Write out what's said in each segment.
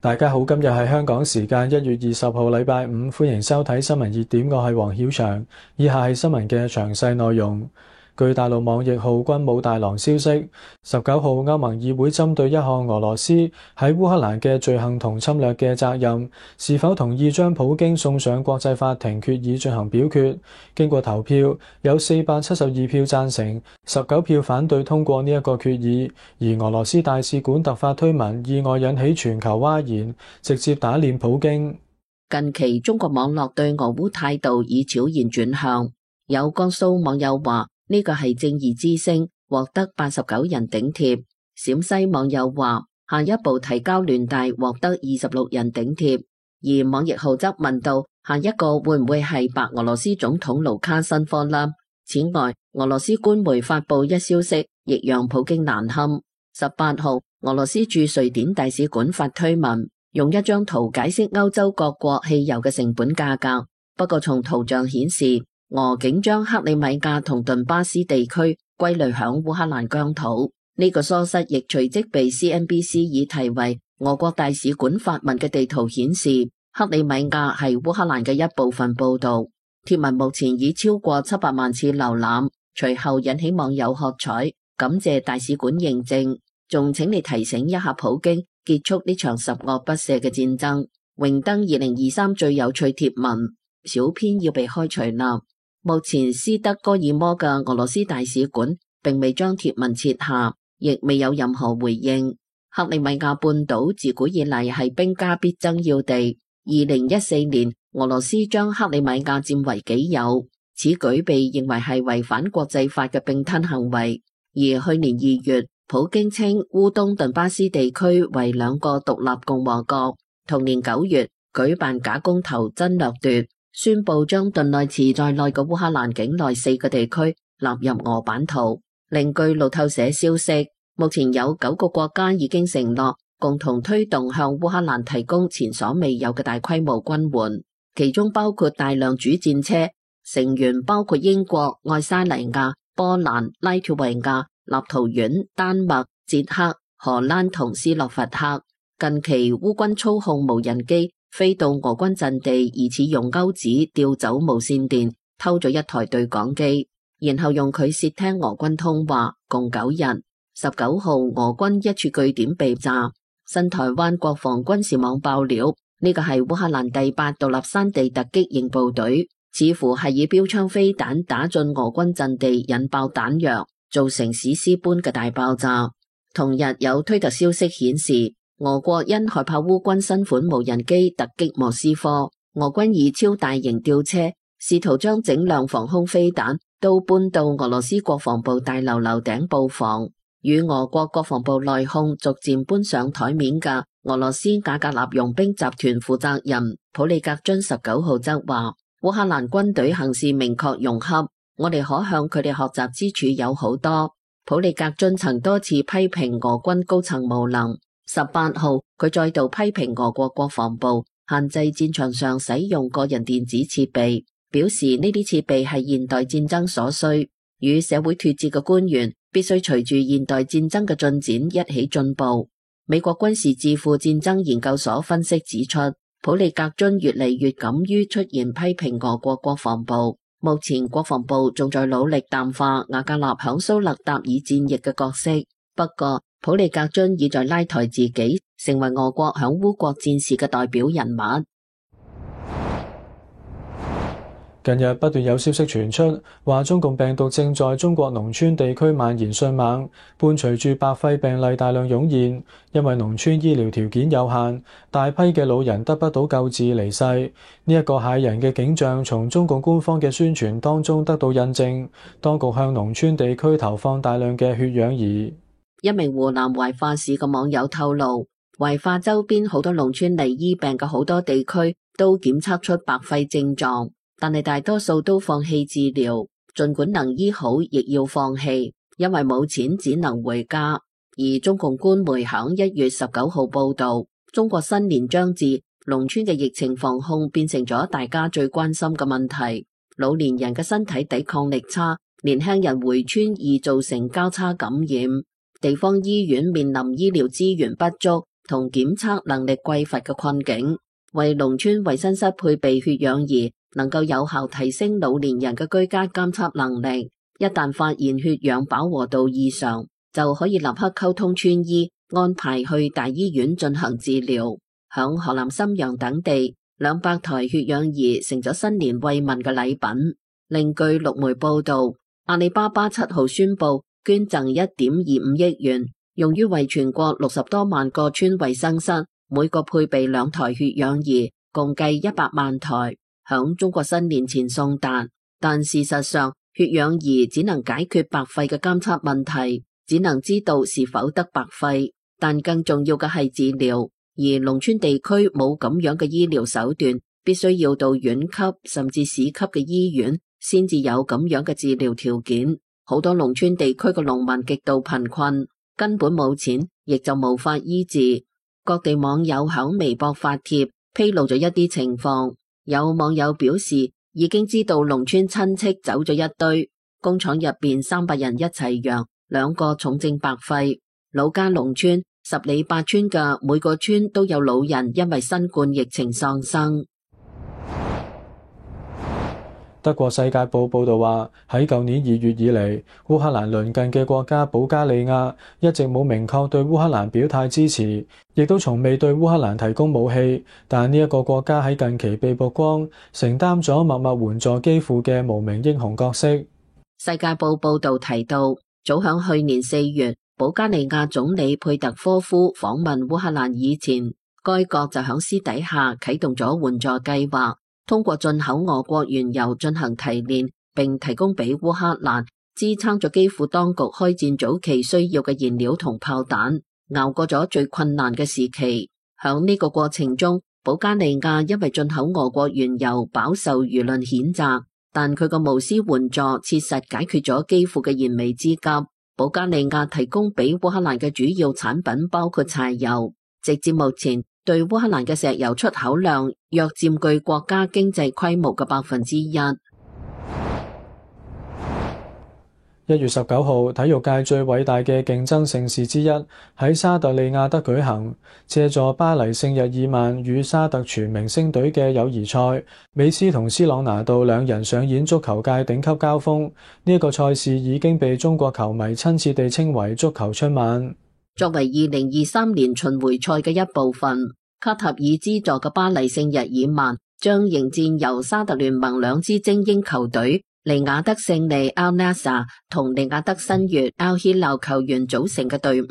大家好，今日係香港時間1月20號禮拜五，歡迎收睇新聞熱點，我係黃曉翔。以下係新聞嘅詳細內容。據大陸網易號軍武大郎消息，19號歐盟議會針對一項俄羅斯喺烏克蘭嘅罪行同侵略嘅責任，是否同意將普京送上國際法庭決議進行表決。經過投票，有472票贊成，19票反對通過呢一個決議。而俄羅斯大使館突發推文，意外引起全球譁然，直接打臉普京。近期中國網絡對俄烏態度已悄然轉向，有江蘇網友話呢個係正義之聲，獲得89人頂貼。陝西網友話下一步提交聯大，獲得26人頂貼。而網易號則問到下一個會唔會係白俄羅斯總統盧卡申科呢？此外，俄羅斯官媒發布一消息，亦讓普京難堪。18號，俄羅斯駐瑞典大使館發推文，用一張圖解釋歐洲各國汽油嘅成本價格。不過從圖像顯示，俄竟將克里米亞同頓巴斯地區歸類響烏克蘭疆土。呢個疏失亦隨即被 CNBC 以題為俄國大使館發文嘅地圖顯示克里米亞係烏克蘭嘅一部分報道。貼文目前已超過700萬次瀏覽，隨後引起網友喝彩，感謝大使館認證，仲請你提醒一下普京結束呢場十惡不赦嘅戰爭。榮登2023最有趣貼文，小編要被開除啦。目前斯德哥爾摩嘅俄羅斯大使館並未將貼文撤下，亦未有任何回應。克里米亞半島自古以嚟係兵家必爭要地。2014年，俄羅斯將克里米亞佔為己有，此舉被認為係違反國際法嘅併吞行為。而去年2月，普京稱烏東頓巴斯地區為兩個獨立共和國。同年9月，舉辦假公投真掠奪，宣布將頓內茨在內嘅烏克蘭境內4個地區納入俄版圖。另據路透社消息，目前有9個國家已經承諾共同推動向烏克蘭提供前所未有嘅大規模軍援，其中包括大量主戰車，成員包括英國、愛沙尼亞、波蘭、拉脫維亞、立陶宛、丹麥、捷克、荷蘭同斯洛伐克。近期烏軍操控無人機飛到俄軍陣地，疑似用鈎子調走無線電，偷咗一台對講機，然後用佢竊聽俄軍通話，共9日。19號，俄軍一處據點被炸。新台灣國防軍事網爆料，呢個係烏克蘭第8獨立山地突擊營部隊，似乎係以標槍飛彈打進俄軍陣地，引爆彈藥，造成史詩般嘅大爆炸。同日有推特消息顯示，俄國因害怕烏軍新款無人機突擊莫斯科，俄軍以超大型吊車試圖將整輛防空飛彈都搬到俄羅斯國防部大樓樓頂布防。與俄國國防部內訌逐漸搬上台面嘅俄羅斯瓦格納傭兵集團負責人普利格津19號則話，烏克蘭軍隊行事明確融洽，我哋可向佢哋學習之處有好多。普利格津曾多次批評俄軍高層無能。18號，佢再度批評俄國國防部限制戰場上使用個人電子設備，表示呢啲設備係現代戰爭所需，與社會脫節嘅官員必須隨住現代戰爭嘅進展一起進步。美國軍事智庫戰爭研究所分析指出，普利格津越嚟越敢於出言批評俄國國防部。目前國防部仲在努力淡化瓦格納響蘇勒達爾戰役嘅角色，不過普利格津已在拉抬自己，成為俄國響烏國戰事嘅代表人物。近日不斷有消息傳出，話中共病毒正在中國農村地區蔓延迅猛，伴隨住白肺病例大量湧現。因為農村醫療條件有限，大批嘅老人得不到救治離世。呢一個駭人嘅景象，從中共官方嘅宣傳當中得到印證。當局向農村地區投放大量嘅血氧儀。一名湖南懷化市嘅網友透露，懷化周邊好多農村嚟醫病嘅好多地區都檢測出白肺症狀。但係大多數都放棄治療，儘管能醫好，亦要放棄，因為冇錢只能回家。而中共官媒響1月19號報道，中國新年將至，農村嘅疫情防控變成咗大家最關心嘅問題。老年人嘅身體抵抗力差，年輕人回村易造成交叉感染，地方醫院面臨醫療資源不足同檢測能力匱乏嘅困境。為農村衛生室配備血氧儀，能夠有效提升老年人嘅居家監測能力。一旦發現血氧飽和度異常，就可以立刻溝通村醫，安排去大醫院進行治療。響河南瀋陽等地，200台血氧儀成咗新年慰問嘅禮品。另據陸媒報道，阿里巴巴7號宣布捐贈1.25億元，用於為全國60多萬個村衛生室每個配備2台血氧儀，共計100萬台，響中國新年前送達。但事實上，血氧儀只能解決白肺嘅監測問題，只能知道是否得白肺，但更重要嘅係治療。而農村地區冇咁樣嘅醫療手段，必須要到縣級甚至市級嘅醫院先至有咁樣嘅治療條件。好多農村地區嘅農民極度貧困，根本冇錢，亦就無法醫治。各地網友響微博發帖，披露咗一啲情況。有網友表示，已經知道農村親戚走咗一堆，工廠入邊300人一齊陽，2個重症白肺。老家農村10里8村嘅每個村都有老人因為新冠疫情喪生。德國世界報報導話，喺舊年2月以嚟，烏克蘭鄰近嘅國家保加利亞一直冇明確對烏克蘭表態支持，亦都從未對烏克蘭提供武器。但呢一個國家喺近期被曝光，承擔咗默默援助基輔嘅無名英雄角色。世界報報導提到，早響去年4月，保加利亞總理佩特科夫訪問烏克蘭以前，該國就響私底下啟動咗援助計劃。通過進口俄國原油進行提煉，並提供俾烏克蘭，支撐咗基輔當局開戰早期需要嘅燃料同炮彈，熬過咗最困難嘅時期。響呢個過程中，保加利亞因為進口俄國原油飽受輿論譴責，但佢個無私援助切實解決咗基輔嘅燃眉之急。保加利亞提供俾烏克蘭嘅主要產品包括柴油，直至目前，對烏克蘭嘅石油出口量約佔據國家經濟規模嘅1%。1月19號，體育界最偉大嘅競爭盛事之一喺沙特利亞德舉行，借助巴黎聖日耳曼與沙特全明星隊嘅友誼賽，美斯同斯朗拿度2人上演足球界頂級交鋒。呢一個賽事已經被中國球迷親切地稱為足球春晚。作為2023年巡迴賽嘅一部分，卡塔爾資助嘅巴黎聖日耳曼將迎戰由沙特聯盟2支精英球隊利雅得勝利 Al Nassr 同利雅得新月 Al Hilal 球員組成嘅隊伍，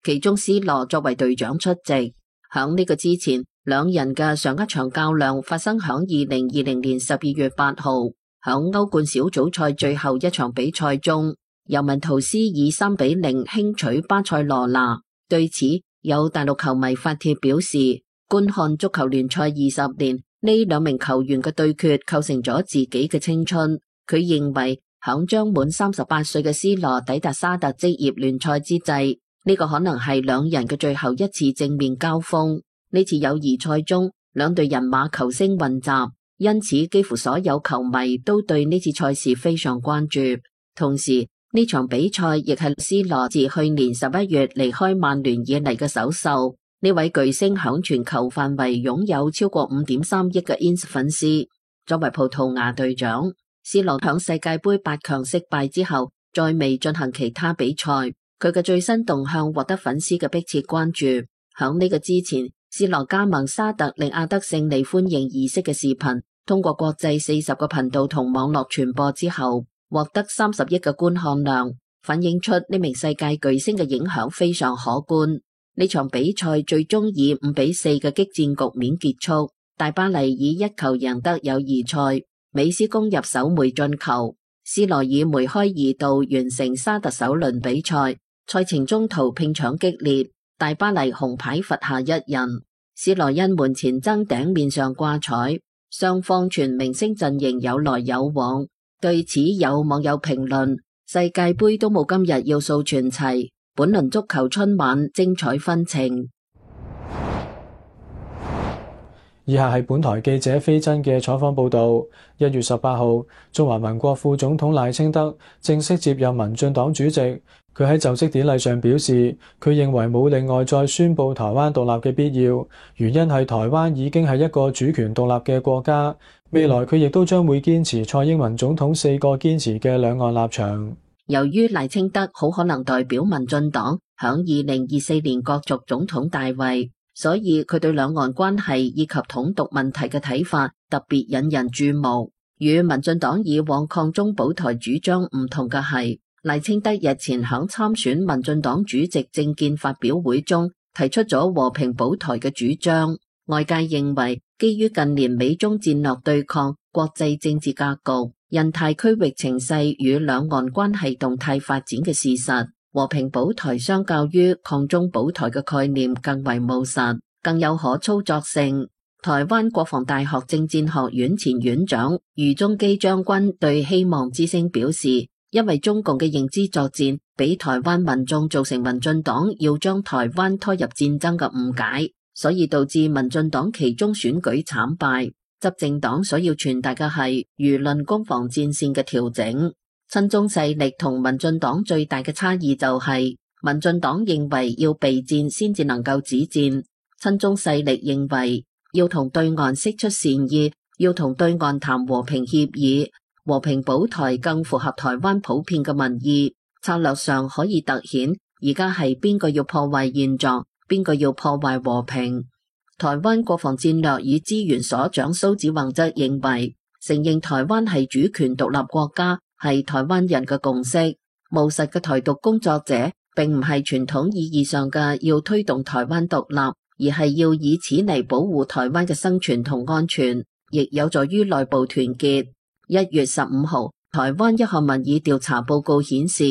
其中 C 羅作為隊長出席。響呢個之前，2人嘅上一場較量發生響2020年12月8號，響歐冠小組賽最後一場比賽中，尤文圖斯以3-0輕取巴塞羅那。對此，有大陸球迷發帖表示，觀看足球聯賽20年，呢2名球員嘅對決構成咗自己嘅青春。佢認為，響將滿38歲嘅 C 羅抵達沙特職業聯賽之際，呢個可能係2人嘅最後一次正面交鋒。呢次友誼賽中，2隊人馬球星混雜，因此幾乎所有球迷都對呢次賽事非常關注。同時，呢場比賽亦係 C 羅自去年11月離開曼聯以嚟嘅首秀。呢位巨星響全球範圍擁有超過5.3億嘅 ins 粉絲。作為葡萄牙隊長，C 羅響世界盃8強惜敗之後，再未進行其他比賽。佢嘅最新動向獲得粉絲嘅迫切關注。響呢個之前，C 羅加盟沙特利雅得勝利歡迎儀式嘅視頻，通過國際40個頻道同網絡傳播之後，獲得30億嘅觀看量，反映出呢名世界巨星嘅影響非常可觀。呢場比賽最終以5-4嘅激戰局面結束，大巴黎以1球贏得友誼賽，美斯攻入首枚進球，C 羅以梅開2度完成沙特首輪比賽。賽程中途拼搶激烈，大巴黎紅牌罰下1人，C 羅因門前爭頂面上掛彩，雙方全明星陣營有來有往。對此有網友評論：世界盃都冇今日要素全齊，本輪足球春晚精彩紛呈。以下係本台記者飛真嘅採訪報導。1月18號，中華民國副總統賴清德正式接任民進黨主席。佢喺就職典禮上表示，佢認為冇另外再宣布台灣獨立嘅必要，原因係台灣已經係一個主權獨立嘅國家。未來佢亦都將會堅持蔡英文總統4個堅持嘅兩岸立場。由於賴清德好可能代表民進黨響2024年角逐總統大位，所以佢對兩岸關係以及統獨問題嘅睇法特別引人注目。與民進黨以往抗中保台主張唔同嘅係，賴清德日前響參選民進黨主席政見發表會中提出咗和平保台嘅主張。外界認為，基於近年美中戰略對抗、國際政治格局、印太區域情勢與兩岸關係動態發展嘅事實，和平保台相較於抗中保台嘅概念更為務實，更有可操作性。台灣國防大學政戰學院前院長余宗基將軍對希望之聲表示，因為中共嘅認知作戰俾台灣民眾造成民進黨要將台灣拖入戰爭嘅誤解，所以導致民進黨期中選舉慘敗。執政黨所要傳達嘅係輿論攻防戰線嘅調整。親中勢力同民進黨最大嘅差異就係，民進黨認為要備戰先至能夠止戰，親中勢力認為要同對岸釋出善意，要同對岸談和平協議。和平保台更符合台灣普遍嘅民意，策略上可以凸顯而家係邊個要破壞現狀，邊個要破壞和平。台灣國防戰略與資源所長蘇子宏則認為，承認台灣係主權獨立國家係台灣人嘅共識。務實嘅台獨工作者並唔係傳統意義上嘅要推動台灣獨立，而係要以此嚟保護台灣嘅生存同安全，亦有助於內部團結。1月15號，台灣一項民意調查報告顯示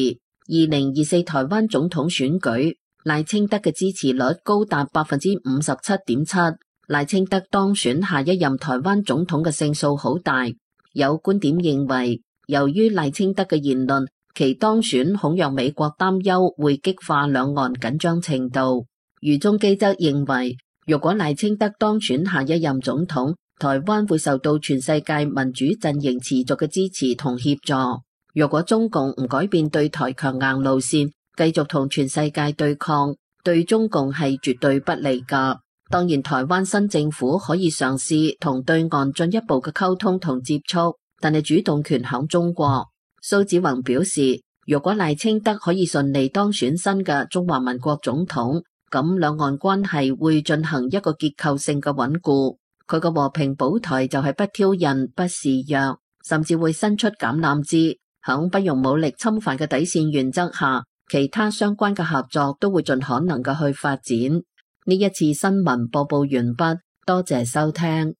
，2024台灣總統選舉，賴清德嘅支持率高達 57.7%， 賴清德當選下一任台灣總統嘅勝數好大。有觀點認為，由於賴清德嘅言論，其當選恐讓美國擔憂會激化兩岸緊張程度。余宗基則認為，如果賴清德當選下一任總統，台灣會受到全世界民主陣營持續嘅支持同協助。如果中共唔改變對台強硬路線，繼續同全世界對抗，對中共係絕對不利㗎。當然，台灣新政府可以嘗試同對岸進一步嘅溝通同接觸，但係主動權響中國。蘇子宏表示，如果賴清德可以順利當選新嘅中華民國總統，咁兩岸關係會進行一個結構性嘅穩固。佢個和平保台就係不挑釁、不示弱，甚至會伸出橄欖枝，響不容武力侵犯嘅底線原則下，其他相關嘅合作都會盡可能嘅去發展。呢一次新聞播報完畢，多謝收聽。